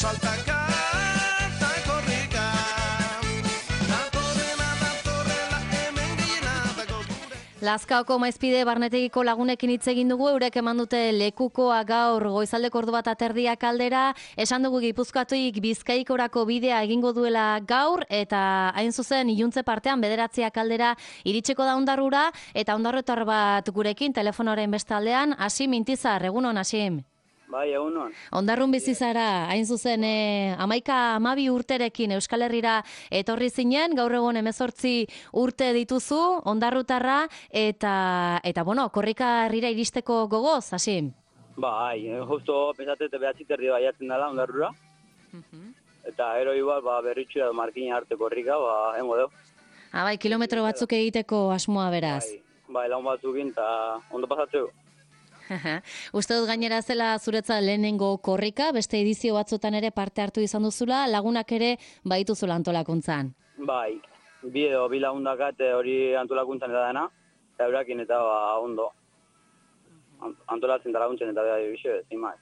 saltaka eta korrika. Datorrela hemen gehienatako gure. Lazkaoko Maizpide barnetegiko lagunekin hitz egin dugu, eurek eman dute lekukoa gaur goizaldeko ordu bat aterdiak aldera, esan dugu Gipuzkoatik Bizkaikorako bidea egingo duela gaur, eta hain zuzen iluntze partean 9 aldera iritsiko da Ondarrura, eta ondarrotar bat gurekin telefonoaren bestaldean, Hasim Intizar, egunon Hasim. Bai, egunon. Ondarrun bizi zara, hain zuzen 11-12 urterekin Euskal Herrira etorri zinen, gaur egun 18 urte dituzu, ondarrutarra, eta bueno, korrika herrira iristeko gogoz, Hasim? Bai, justo pensate behatzi terdi baiatzen dela ondarrura. Eta ero igual, berritxu edo markina arte korrika, hengo deu. Bai, kilometro batzuk egiteko asmoa beraz. Bai, laun batzukin, eta ondo pasatzeu. Uste dut gainera zela zuretzat lehenengo korrika, beste edizio batzutan ere parte hartu izan duzula, lagunak ere baituzula antolakuntzan. Bai, bi lagundakat hori antolakuntzan eta dena, eta eurakin eta ondo. Antolatzen da laguntzen eta bixe, zin maiz.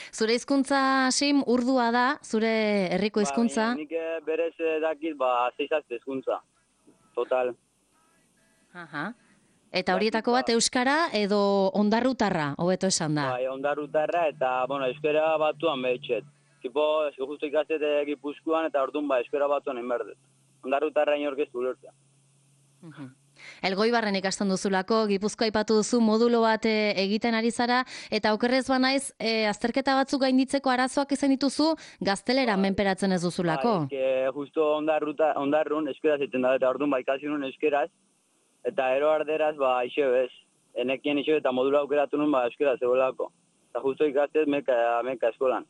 Zure hizkuntza, Hasim, urdua da, zure herriko hizkuntza? Nik berez dakit, 6 hizkuntza, total. Aha. Eta horietako bat euskara edo ondarrutarra, hobeto esan da? Bai, ondarrutarra eta, euskara batuan behitxet. Tipo, justo ikastete Gipuzkoan eta orduan euskara batuan inberdet. Ondarrutarra inorkestu ulertzea. Elgoibarren ikasten duzulako, Gipuzkoa aipatu duzu modulo bat egiten ari zara, eta okerrez banaiz, azterketa batzuk gainditzeko arazoak izan dituzu, gaztelera menperatzen ez duzulako. Bai, justo ondarrun euskaraz egiten da, eta orduan ikasi nuen euskaraz, eta ero arderaz, iso bez. Enekien iso eta modula aukeratu nuen, euskaraz zegoelako. Eta justo ikastez meka eskolan.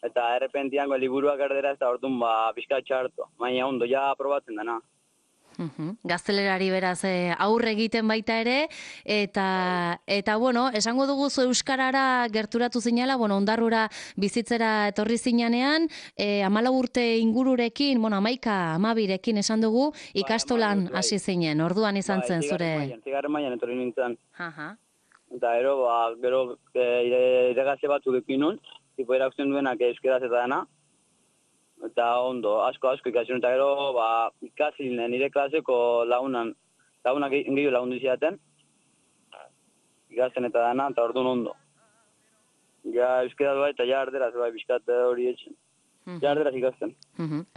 Eta errepentiango liburuak arderaz, eta orduan pixka txartu. Baina ondo, ja aprobatzen dena. Gaztelerari beraz aurre egiten baita ere, eta bueno, esango dugu zu euskarara gerturatu zinela, ondarrura bizitzera etorri zinanean, 14 urte ingururekin, 11-12rekin esan dugu, ikastolan hasi zinen, orduan izan zen zure... Zigarren mailan etorri nintzen. Eta gero iregaze batzuk ekin nun, tipo erakusten duenak euskaraz eta dena, eta ondo, asko ikasi eta gero ikasi nire klaseko lagunak gehiago lagundu izaten, ikasten eta dana, eta orduan ondo. Ja euskaraz bai, eta ja arderaz bai, bizkat hori etxen. Ja arderaz ikasten.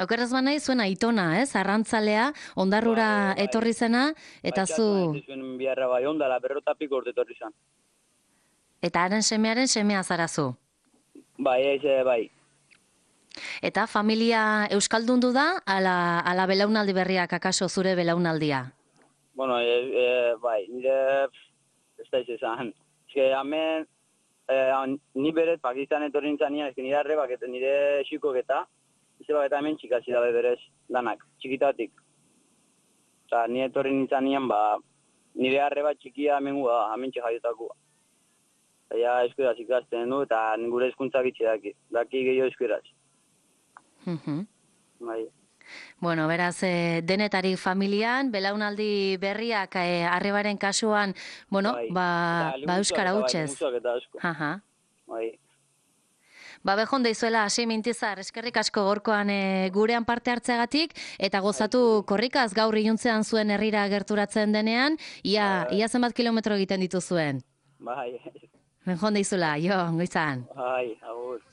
Okerraz banai zuen aitona, arrantzalea, ondarrura etorri zena, eta zu... Bai, zuen biharra bai, ondala, 50 urte etorri zen. Eta haren semearen semea zarazu? Bai, bai. Eta familia euskaldundu da, ala belaunaldi berriak akaso zure belaunaldia? Bueno, bai, nire ez da izan. Hemen, ni beret Pakistan etorri nintzen nian, nire arrebak eta nire xikok eta hemen txikasi dabe berez danak, txikitatik. Eta nire etorri nintzen nian, nire arreba txikia hemen txikaietakoa. Eta euskaraz ikasten du, eta gure hizkuntza gitxe daki gehiago euskaraz. Bai. Bueno, beraz, denetarik familian, belaunaldi berriak arrebaren kasuan, euskara hutsez. Bai. Bejonde izuela, Hasim Intizar, eskerrik asko gorkoan gurean parte hartzeagatik, eta gozatu korrikaz gaur iluntzean zuen herrira gerturatzen denean, ia zenbat kilometro egiten dituzuen. Bai. Bejonde izuela, jo, goizan. Bai, agur.